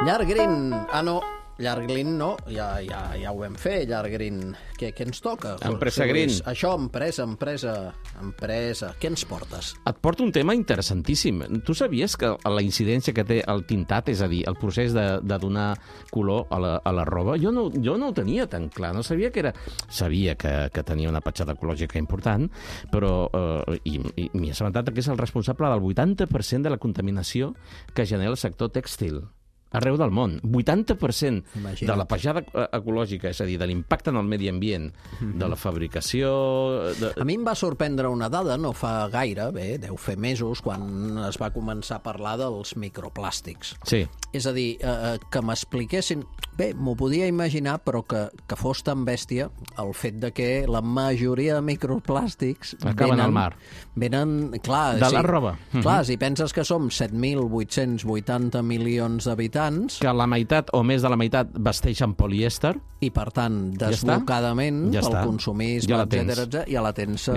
Llargrin, no, Llargrin no, ja ho vam fer, Llargrin. Què ens toca? Empresa Green. Això, empresa. Què ens portes? Et porto un tema interessantíssim. Tu sabies que la incidència que té el tintat, és a dir, el procés de donar color a la roba, jo no ho tenia tan clar. No sabia que era... Sabia que tenia una petjada ecològica important, però i m'hi he assabentat que és el responsable del 80% de la contaminació que genera el sector tèxtil arreu del món. 80% de la petjada ecològica, és a dir, de l'impacte en el medi ambient, de la fabricació... A mi em va sorprendre una dada, no fa gaire, deu fer mesos, quan es va començar a parlar dels microplàstics. Sí. És a dir, que m'expliquessin... Bé, m'ho podia imaginar, però que fos tan bèstia el fet de que la majoria de microplàstics acaben al mar. Venen, clar... De la roba. Clar, si penses que som 7.880 milions d'habitants... Que la meitat o més de la meitat vesteixen polièster. I, per tant, desbocadament, pel consumisme, etcètera, ja la tens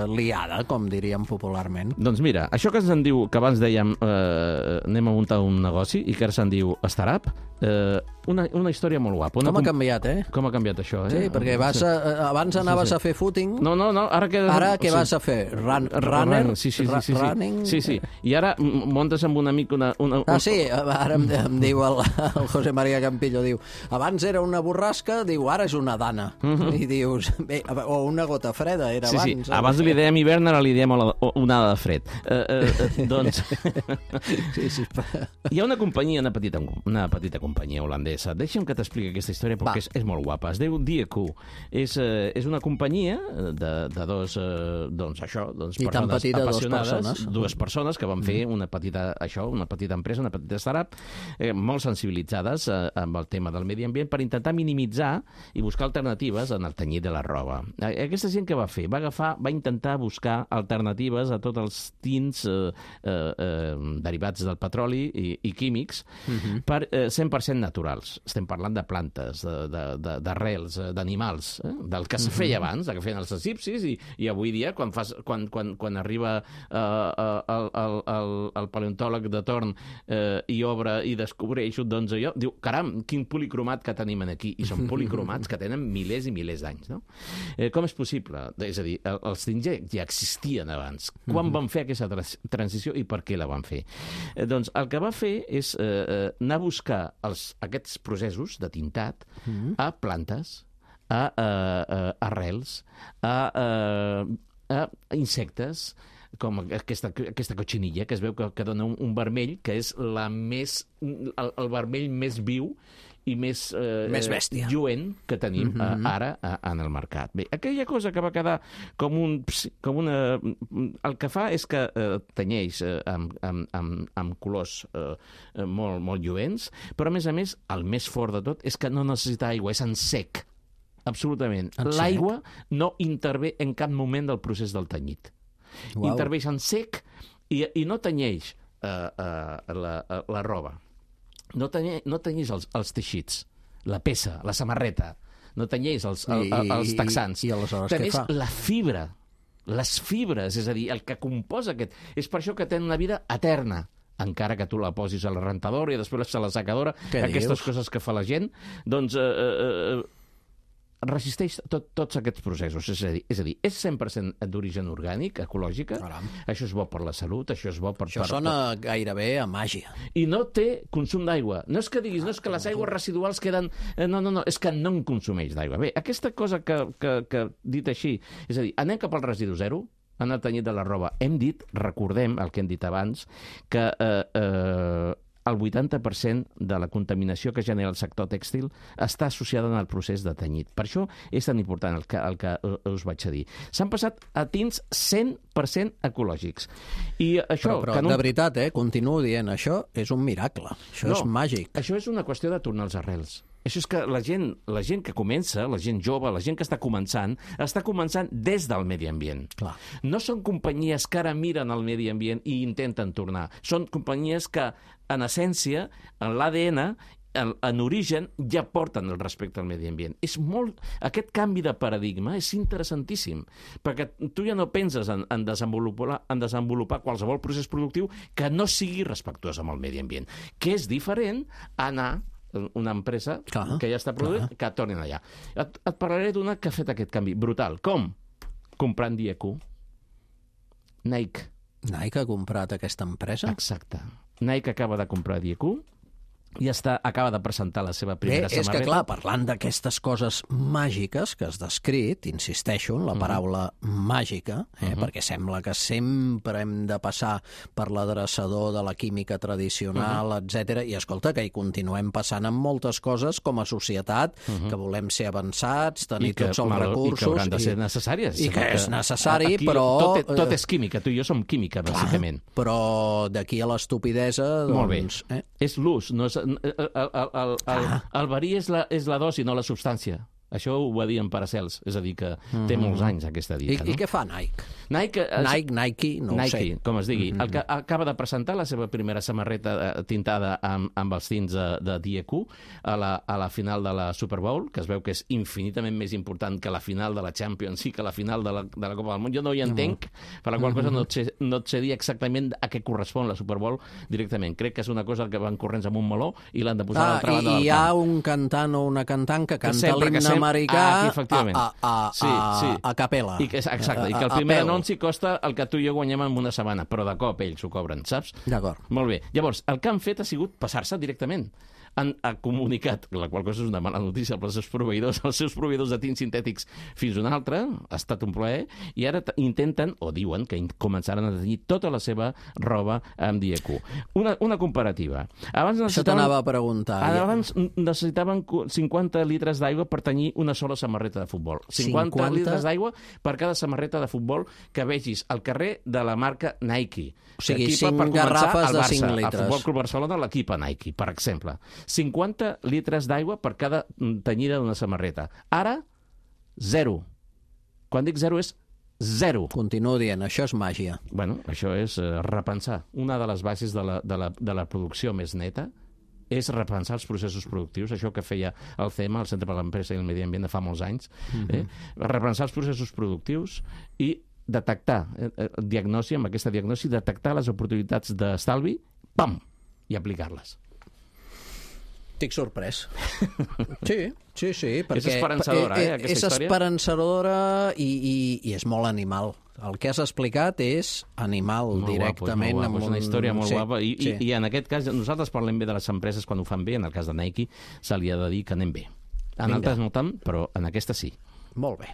liada, com diríem popularment. Doncs mira, això que se'n diu, que abans dèiem anem a muntar un negoci, i que ara se'n diu startup, una història molt guapa. Com ha canviat, Com ha canviat això, Sí, perquè abans anaves a fer footing... No, ara què vas a fer? Running? Sí. I ara muntes amb un amic una... Sí, ara em diu el José María Campillo, diu, abans era una borrasca, diu, ara és una dana. I dius, bé, o una gota freda, era abans. Sí, abans li dèiem hivern, ara li dèiem onada de fred. Doncs... Hi ha una companyia, una petita companyia holandesa. Deixa'm que t'expliqui aquesta història perquè és molt guapa. Es diu DQ. És una companyia de dos persones apassionades, dues persones que van fer una petita empresa, una petita startup, molt sensibilitzades amb el tema del medi ambient per intentar minimitzar i buscar alternatives en el tenyit de la roba. Aquesta gent què va fer? Va intentar buscar alternatives a tots els tints derivats del petroli i químics per 100% naturals. Estem parlant de plantes, d'arrels, d'animals, del que se feia abans, que feien els egipcis, i avui dia, quan arriba el paleontòleg de torn i obre i descobreix doncs allò, diu, caram, quin policromat que tenim aquí, i són policromats que tenen milers i milers d'anys, no? Com és possible? És a dir, els tints ja existien abans. Quan van fer aquesta transició i per què la van fer? Doncs el que va fer és anar a buscar aquests processos de tintat a plantes, a arrels, a insectes, com aquesta cotxinilla, que es veu que dona un vermell, que és el vermell més viu i més bèstia, lluent que tenim ara en el mercat. Bé, aquella cosa que va quedar com una... El que fa és que tenyeix amb colors molt, molt lluents, però a més, el més fort de tot és que no necessita aigua, és en sec. Absolutament. L'aigua no intervé en cap moment del procés del tenyit. Interveix en sec i no tenyeix la roba. No tenyeix els teixits, la peça, la samarreta, no tenyeix els texans. I aleshores què fa? La fibra, les fibres, és a dir, el que composa aquest... És per això que té una vida eterna, encara que tu la posis a la rentadora i després a la secadora, aquestes coses que fa la gent, doncs resisteix tots aquests processos. És a dir, és 100% d'origen orgànic, ecològica. Això és bo per la salut, això és bo per... Això sona gairebé a màgia. I no té consum d'aigua. No és que diguis, no és que les aigües residuals queden... No, és que no en consumeix d'aigua. Bé, aquesta cosa que dit així, és a dir, anem cap al residu zero, en el tenyit de la roba. Recordem el que hem dit abans, que el 80% de la contaminació que genera el sector tèxtil està associada al procés de tenyit. Per això és tan important el que us vaig a dir. S'han passat a tints 100% ecològics. I això, però de veritat, continuo dient, això és un miracle. Això és màgic. Això és una qüestió de tornar als arrels. Això és que la gent que comença, la gent jove, la gent que està començant des del medi ambient. Clar. No són companyies que ara miren el medi ambient i intenten tornar. Són companyies que, en essència, en l'ADN, en origen ja porten el respecte al medi ambient. Aquest canvi de paradigma és interessantíssim, perquè tu ja no penses en desenvolupar qualsevol procés productiu que no sigui respectuós amb el medi ambient, que és diferent a anar una empresa que ja està produint, que tornin allà. Et parlaré d'una que ha fet aquest canvi brutal. Com? Comprant Dieku. Nike. Nike ha comprat aquesta empresa? Exacte. Nike acaba de comprar Dieku i acaba de presentar la seva primera samarreta. És que, clar, parlant d'aquestes coses màgiques que has descrit, insisteixo en la paraula màgica, perquè sembla que sempre hem de passar per l'adreçador de la química tradicional, etc. I, escolta, que hi continuem passant amb moltes coses com a societat, que volem ser avançats, tenir tots els recursos... I que hauran de ser necessàries. I que és necessari, però... Tot és química, tu i jo som química, bàsicament. Però d'aquí a l'estupidesa, doncs... Molt bé. És l'ús, no és... El verí és la dosi, no la substància. Això ho va dir en Paracels, és a dir, que té molts anys aquesta dita. I què fa Nike? Nike, no ho sé. Com es digui. Acaba de presentar la seva primera samarreta tintada amb els tints de Dieku a la final de la Super Bowl, que es veu que és infinitament més important que la final de la Champions i que la final de la Copa del Món. Jo no hi entenc, per la qual cosa no et sé dir exactament a què correspon la Super Bowl directament. Crec que és una cosa que van corrents amb un meló i l'han de posar a l'altra banda del camp. I hi ha un cantant o una cantant que canta l'himne americà a capella. Exacte, i que el primer anunci costa el que tu i jo guanyem en una setmana, però de cop ells ho cobren, saps? D'acord. Molt bé. Llavors, el que han fet ha sigut passar-se directament. Han comunicat, la qual cosa és una mala notícia per als seus proveïdors de tints sintètics fins a un altre, ha estat un plaer, i ara intenten, o diuen, que començaran a tenir tota la seva roba amb Dieku. Una comparativa. Això t'anava a preguntar. Abans necessitaven 50 litres d'aigua per tenir una sola samarreta de futbol. 50 litres d'aigua per cada samarreta de futbol que vegis al carrer de la marca Nike. O sigui, 5 garrafes de 5 litres. El Futbol Club Barcelona l'equipa Nike, per exemple. 50 litres d'aigua per cada tenyida d'una samarreta. Ara, 0. Quan dic 0 és 0. Continuo dient, això és màgia. Bueno, això és repensar. Una de les bases de la producció més neta és repensar els processos productius, això que feia el CEMA, el Centre per a l'Empresa i el Medi Ambient, de fa molts anys. Repensar els processos productius i detectar, amb aquesta diagnosi, detectar les oportunitats d'estalvi, pam, i aplicar-les. Estic sorprès. Sí, perquè és esperançadora, aquesta història. És esperançadora i és molt animal. El que has explicat és animal, molt directament. Guapo, és una història molt guapa. I en aquest cas, nosaltres parlem bé de les empreses quan ho fan bé. En el cas de Nike, se li ha de dir que anem bé. En altres no tant, però en aquesta sí. Molt bé.